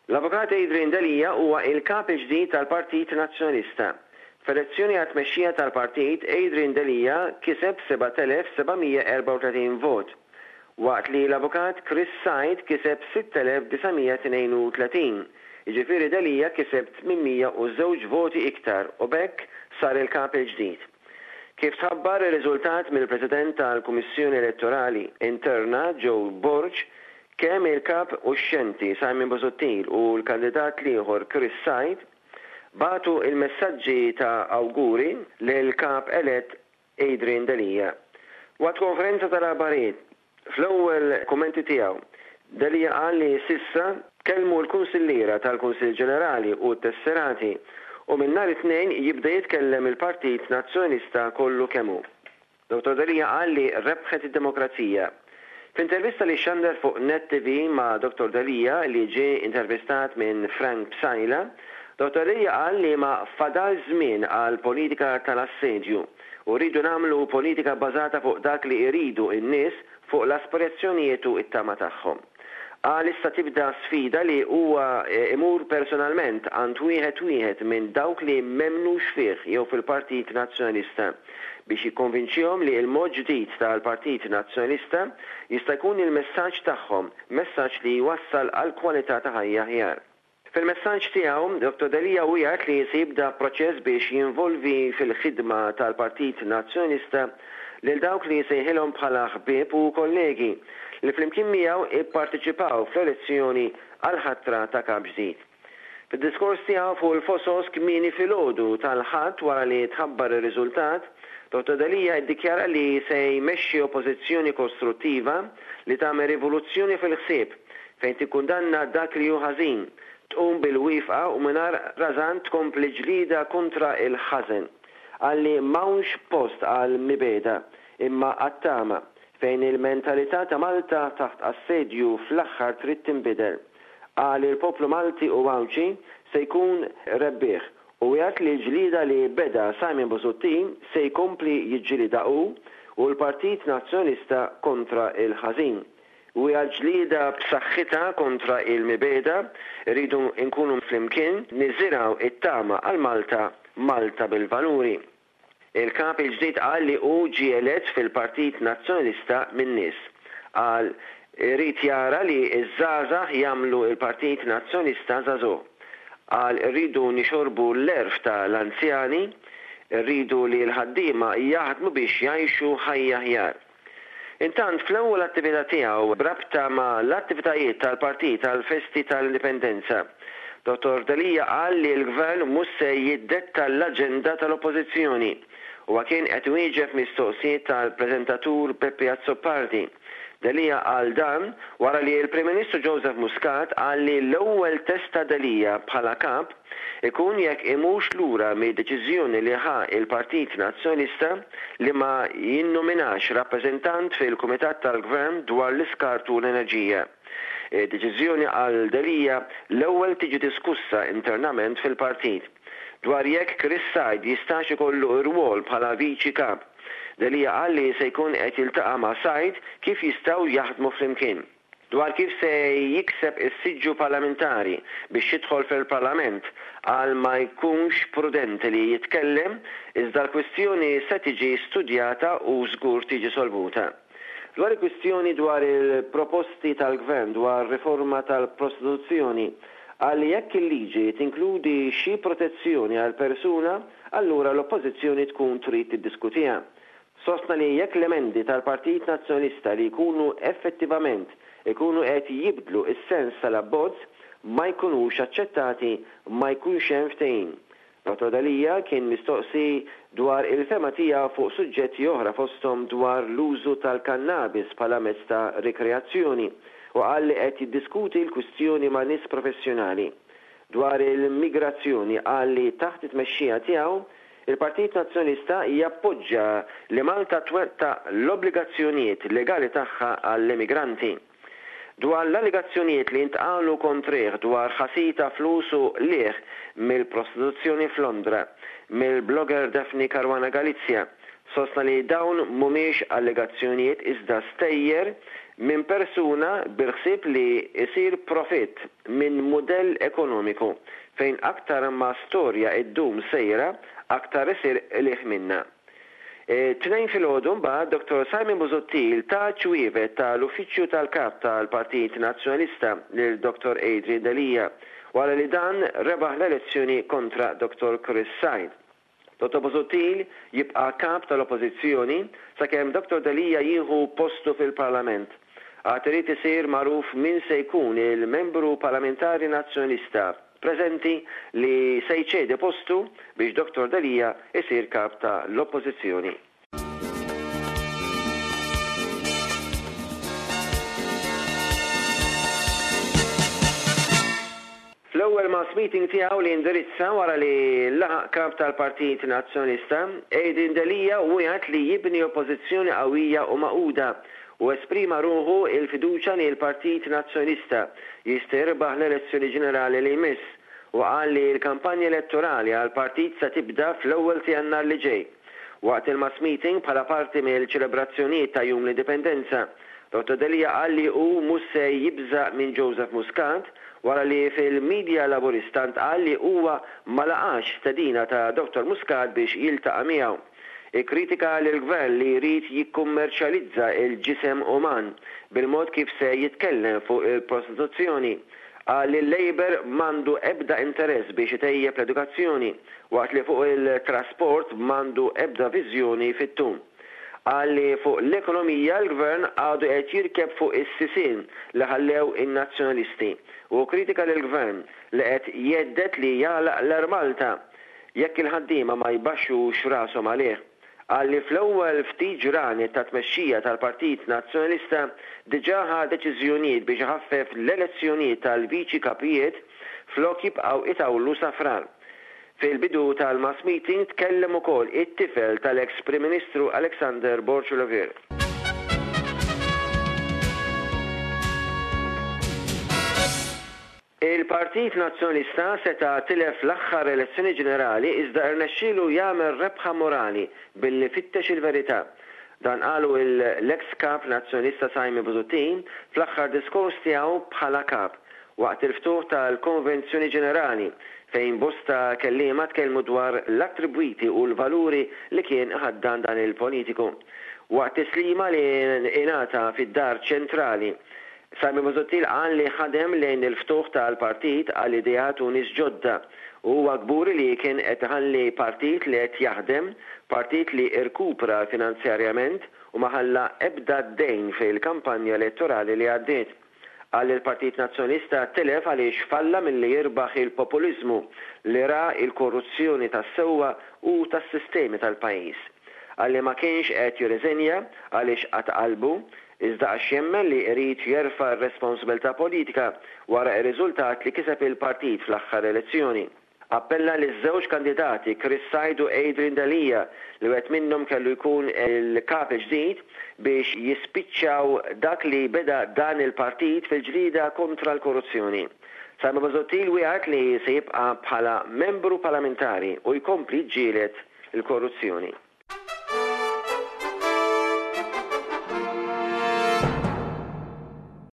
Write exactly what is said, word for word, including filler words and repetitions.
L-Avukat Adrian Delia huwa il-kap il-ġdid tal-Partit Nazzjonalista. F'elezzjoni għat-tmexxija tal-partit, Adrian Delia kiseb seba' elef seba' mija erbgħa u tletin vot, waqt li l-Avukat Chris Said kiseb sitt elef disa' mija tnejn u tletin. Jiġifieri Delia kiseb tmien mija u żewġ voti iktar u b'hekk sar il-kap il-ġdid. Kif tħabbar ir-riżultat mill-President tal-Kummissjoni Elettorali Interna Joe Borg, kemm il-kap uxxenti Simon Busuttil u l-kandidat l-ieħor Chris Said bagħtu il-messaġġi ta' awguri lil kap elett Adrian Delia. Waqt konferenza tal-aħbarijiet, fl-ewwel kummenti tiegħu, Delia qal li s'issa kellmu l-kunsilliera tal-Kunsill Ġenerali u t-tesserati u minn nhar it-Tnejn jibda jitkellem il-Partit Nazzjonalista kollu kemm hu. Dottor Delia qal li rebħet id-demokrazija. F'intervista li xandar fuq Net T V ma' Dottor Delia, li ġie intervistat minn Frank Psaila, Dottor Delia qal li ma fadal żmien għal politika tal-assedju u rridu nagħmlu politika bażata fuq dak li jridu n-nies, fuq l-aspirazzjonijiet u it-tama tagħhom. Qal issa tibda sfida li huwa imur personalment għand wieħed wieħed minn dawk li m'emmnux fih jew fil-Partit Nazzjonalista biex jikkonvinċihom li l-mod ġdid tal-Partit Nazzjonalista jista' jkun il-messaġġ tagħhom, messaġġ li jwassal għal kwalità ta' ħajja aħjar. Fil-messaġġ tiegħu, Dottor Delia wiegħed li se jibda proċess biex jinvolvi fil-ħidma tal-Partit Nazzjonalista lil dawk li sejħilhom bħala ħbieb u kollegi li flimkien miegħu ipparteċipaw fl-elezzjoni għal ħatra ta' kap ġdid. Fid-diskors tiegħu fuq il-Fosos kmieni filgħodu tal-Ħadd wara li tħabbar ir-riżultat, Dottor Delia iddikjara li se jmexxi oppożizzjoni kostruttiva li tagħmel rivoluzzjoni fil-ħsieb, fejn tikkundanna dak li hu ħażin, tqum bil-wieqfa u mingħajr rażan tkompli ġlida kontra il-ħażen. Qal li m'hawnx post għal mibegħda imma għat-tama, fejn il-mentalità ta' Malta taħt assedju fl-aħħar trid tinbidel. Qal il-poplu Malti u Għawdxi se jkun rebbieħ u wiegħed li l-ġlida li beda Simon Busuttil se jkompli jiġġilida hu u l-Partit Nazzjonalista kontra il-ħażin. U ġlida b'saħħitha kontra il-mibegħda, rridu nkunu flimkien niżirgħu it-tama għal Malta, Malta bil-valuri. Il-kap il-ġdid qal li hu ġie elett fil-Partit Nazzjonalista min-nies. Qal irid jara li iż-żgħażagħ jagħmlu il-Partit Nazzjonalista żagħżugħ. Qal irridu nixorbu l-għerf tal-anzjani, rridu li l-ħaddiema jaħdmu biex jgħixu ħajja aħjar. Intant, fl-ewwel attività tiegħu b'rabta ma' l-attivitajiet tal-Partit tal-Festi tal-Indipendenza, Dottor Delia qal li l-Gvern mhux se jiddetta l-aġenda tal-Oppożizzjoni u kien qed wieġeb mistoqsijiet tal-preżentatur Peppi Azzopardi. Delia qal dan wara li l-Prim Ministru Joseph Muscat qal li l-ewwel test ta' Delia bħala kap ikun jekk imurx lura mid-deċiżjoni li ħa il-Partit Nazzjonalista li ma jinnominax rappreżentant fil-Kumitat tal-Gvern dwar l-iskart u l-enerġija. Deċiżjoni, qal Delia, l-ewwel tiġi diskussa internament fil-partit. Dwar jekk Chris Said jistax ikollu rwol bħala viċi kap, Delia qal li se jkun qed jiltaqa' ma' Said kif jistgħu jaħdmu flimkien. Dwar kif se jikseb is-siġġu parlamentari biex jidħol fil-Parlament, qal ma jkunx prudenti li jitkellem, iżda l-kwistjoni se tiġi studjata u żgur tiġi solvuta. Dwar il-kwistjoni dwar il-proposti tal-Gvern dwar riforma tal-prostituzzjoni, qal li jekk il-liġi tinkludi xi protezzjoni għal persuna, allura l-oppożizzjoni tkun trid tiddiskutiha. Sostna li jekk l-emendi tal-Partit Nazzjonalista li jkunu effettivament ikunu qed jibdlu is-sens tal-abbozz ma jkunux aċċettati, ma jkunx hemm ftehim. Dottor Delia kien mistoqsi dwar il-fehma tiegħu fuq suġġetti oħra, fosthom dwar l-użu tal-kannabis bħala mezz ta' rikreazzjoni, u qal li qed jiddiskuti l-kwistjoni ma' nies professjonali. Dwar il-migrazzjoni, qal li taħt it-tmexxija tiegħu il-Partit Nazzjonalista jappoġġa li Malta twettaq l-obbligazzjonijiet legali tagħha għall-immigranti. Dwar l-allegazzjonijiet li ntqalu kontrih dwar ħasil ta' flus u qligħ mill-prostituzzjoni f'Londra mill-blogger Daphne Caruana Galizia, sostna li dawn mhumiex allegazzjonijiet iżda stejjer minn persuna bil-ħsieb li jsir profitt minn mudell ekonomiku fejn aktar ma storja iddum sejra aktar isir qligħ minnha. It-Tnejn filgħodu mbagħad Dottor Simon Busuttil ta ċwievet tal-Uffiċċju tal-Kap tal-Partit Nazzjonalista lil Dottor Adrian Delia wara li dan rebaħ l-elezzjoni kontra Dottor Chris Said. Dottor Busuttil jibqa' kap tal-Oppożizzjoni sakemm Dottor Delia jieħu postu fil-Parlament. Għad irid isir magħruf min se jkun il-membru parlamentari Nazzjonalista preżenti li se jċedi postu biex Dottor Delia isir kap ta' l-Oppożizzjoni. Fl-ewwel mass meeting tiegħu li indirizza wara li laħaq kap tal-Partit Nazzjonalista, Adrian Delia wiegħed li jibni oppożizzjoni qawwija u magħquda u esprima ruħu il-fiduċja li l-Partit Nazzjonalista jista' jirbaħ l-elezzjoni ġenerali li jmiss u qal li l-kampanja elettorali għall-partit se tibda fl-ewwel ta' Jannar li ġej. Waqt il-mass meeting bħala parti mill-ċelebrazzjonijiet ta' Jum l-Indipendenza, Dottor Delia qal li hu mhux se jibża' minn Joseph Muscat wara li fil-medja laburista ntqal li huwa ma laqax stedina ta' Dottor Muscat biex jiltaqa' miegħu. Ikkritika lill-gvern li jrid jikkummerċjalizza il-ġisem uman bil-mod kif se jitkellem fuq il-prostituzzjoni. Qal li l-Labour m'għandu ebda interess biex itejjeb l-edukazzjoni waqt li fuq il-trasport m'għandu ebda viżjoni fit-tul. Qal li fuq l-ekonomija l-gvern għadu qed jirkeb fuq is-sisien li ħallew in-nazzjonalisti u kritika lill-gvern li qed jgħeddet li jagħlaq l-Air Malta jekk il-ħaddiema ma jbaxxux rashom għalih. Qal li fl-ewwel ftit ġranet ta' tmexxija tal-Partit Nazzjonalista diġà ħa deċiżjonijiet biex iħaffef l-elezzjonijiet tal-viċi kapijiet flok jibqgħu itawlu safran. Fil-bidu tal-mass meeting tkellem ukoll it-tifel tal-ex Prim Ministru Alexander Borg Olivier. Il-Partit Nazzjonalista seta' tilef l-aħħar elezzjoni ġenerali iżda rnexxielu jagħmel rebħa morali billi fittex il-verità. Dan qalu l-ex kap Nazzjonalista Simon Busuttil fl-aħħar diskors tiegħu bħala kap waqt il-ftuħ tal-Konvenzjoni Ġenerali fejn bosta kelliema tkellmu dwar l-attribwiti u l-valuri li kien ħaddan dan il-politiku. Waqt tislima li ingħata fid-dar ċentrali, Simon Busuttil qal li ħadem lejn il-ftuħ tal-partit għal ideat u nies ġodda u huwa kburi li kien qed iħalli partit li qed jaħdem, partit li irkupra finanzjarjament u ma ħalla ebda dejn fil-kampanja elettorali li għaddiet. Qal li l-Partit Nazzjonalista telef għaliex falla milli jirbaħ il-populiżmu li ra il-korruzzjoni tas-sewwa u tas-sistemi tal-pajjiż. Qal li ma kienx qed jirriżenja għaliex qatt qalbu, iżda għax jemmen li jrid jerfa' r-responsabilità politika wara r-riżultat li kiseb il-partit fl-aħħar elezzjoni. Appella li żewġ kandidati Chris Said u Adrian Delia li wieħed minnhom kellu jkun il-kap ġdid biex jispiċċaw dak li beda dan il-partit fil-ġlida kontra l-korruzzjoni. Simon Busuttil wieħed li se jibqa' bħala membru parlamentari u jkompli ġġieled il-korruzzjoni.